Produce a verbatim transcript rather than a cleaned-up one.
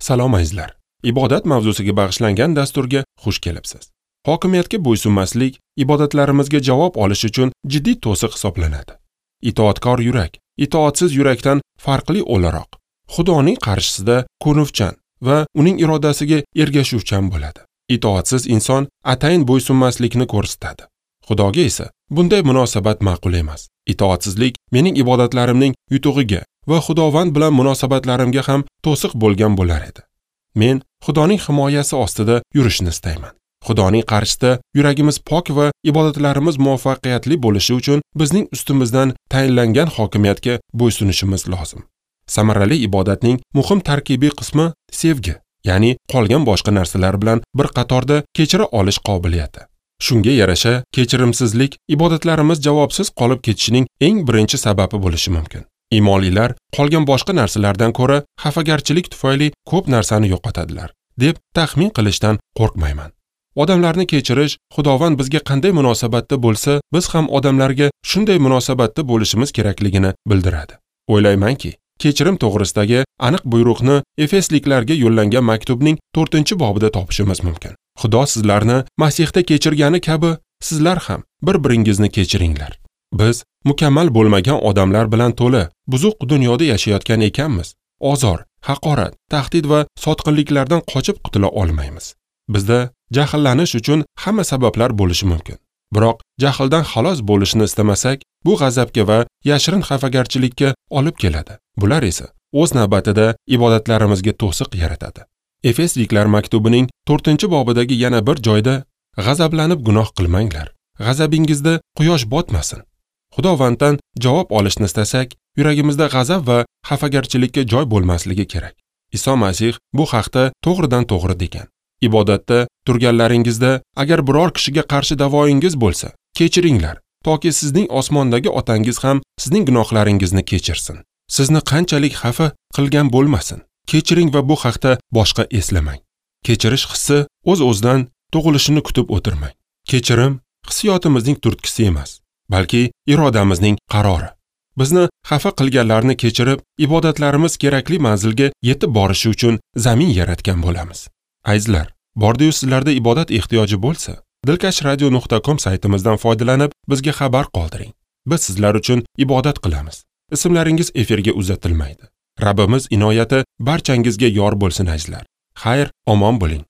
Salom azizlar. Ibodat mavzusiga bag'ishlangan dasturga xush kelibsiz. Hokimiyatga bo'ysunmaslik ibodatlarimizga javob olish uchun jiddiy to'siq hisoblanadi. Itoatkor yurak, itoatsiz yurakdan farqli o'laroq, Xudoning qarshisida ko'nuvchan va uning irodasiga ergashuvchan bo'ladi. Itoatsiz inson atayin bo'ysunmaslikni ko'rsatadi. Xudoga esa bunday munosabat ma'qul emas. Itoatsizlik mening ibodatlarimning yutug'iga va Xudovand bilan munosabatlarimga ham to'siq bo'lgan bo'lar edi. Men Xudoning himoyasi ostida yurishni istayman. Xudoning qarshisida yuragimiz pok va ibodatlarimiz muvaffaqiyatli bo'lishi uchun bizning ustimizdan tayinlangan hokimiyatga bo'ysunishimiz lozim. Samarali ibodatning muhim tarkibiy qismi sevgi, ya'ni qolgan boshqa narsalar bilan bir qatorda kechira olish qobiliyati. Shunga yarasha kechirimsizlik ibodatlarimiz javobsiz qolib ketishining eng birinchi sababi bo'lishi mumkin. Imonlilar qolgan boshqa narsalardan ko'ra xafagarchilik tufayli ko'p narsani yo'qotadilar, deb taxmin qilishdan qo'rqmayman. Odamlarni kechirish, Xudovand bizga qanday munosabatda bo'lsa, biz ham odamlarga shunday munosabatda bo'lishimiz kerakligini bildiradi. O'ylaymanki, kechirim to'g'risidagi aniq buyruqni Efesliklarga yo'llangan maktubning to'rtinchi bobida topishimiz mumkin. Xudo sizlarni Masihda kechirgani kabi, sizlar ham bir-biringizni kechiringlar. Biz mukammal bo'lmagan odamlar bilan to'la, buzuq dunyoda yashayotgan ekanmiz. Ozor, haqorat, tahdid va sotqinliklardan qochib qutula olmaymiz. Bizda jahllanish uchun hamma sabablar bo'lishi mumkin. Biroq jahldan xalos bo'lishni istamasak, bu g'azabga va yashirin xafagarchilikka olib keladi. Bular esa o'z navbatida ibodatlarimizga to'siq yaratadi. Efesliklar maktubining to'rtinchi bobidagi yana bir joyda g'azablanib gunoh qilmanglar. G'azabingizda quyosh botmasin. Xudovanddan javob olishni istasak, yuragimizda g'azab va xafagarchilikka joy bo'lmasligi kerak. Iso Masih bu haqda to'g'ridan to'g'ri degan. Ibodatda turganlaringizda agar biror kishiga qarshi da'voyingiz bo'lsa, kechiringlar, toki sizning osmondagi otangiz ham sizning gunohlaringizni kechirsin. Sizni qanchalik xafa qilgan bo'lmasin, kechiring va bu haqda boshqa eslamang. Kechirish hissi o'z-o'zidan tug'ilishini kutib o'tirmang. Kechirim hissiyotimizning turtkisi emas, balki irodamizning qarori. Bizni xafa qilganlarni kechirib, ibodatlarimiz kerakli manzilga yetib borishi uchun zamin yaratgan bo'lamiz. Azizlar, bordi-yu sizlarda ibodat ehtiyoji bo'lsa, dilkash radio nuqta com saytimizdan foydalanib bizga xabar qoldiring. Biz sizlar uchun ibodat qilamiz. Ismlaringiz efirga uzatilmaydi. Rabbimiz inoyati barchangizga yor bo'lsin azizlar. Xayr, omon bo'ling.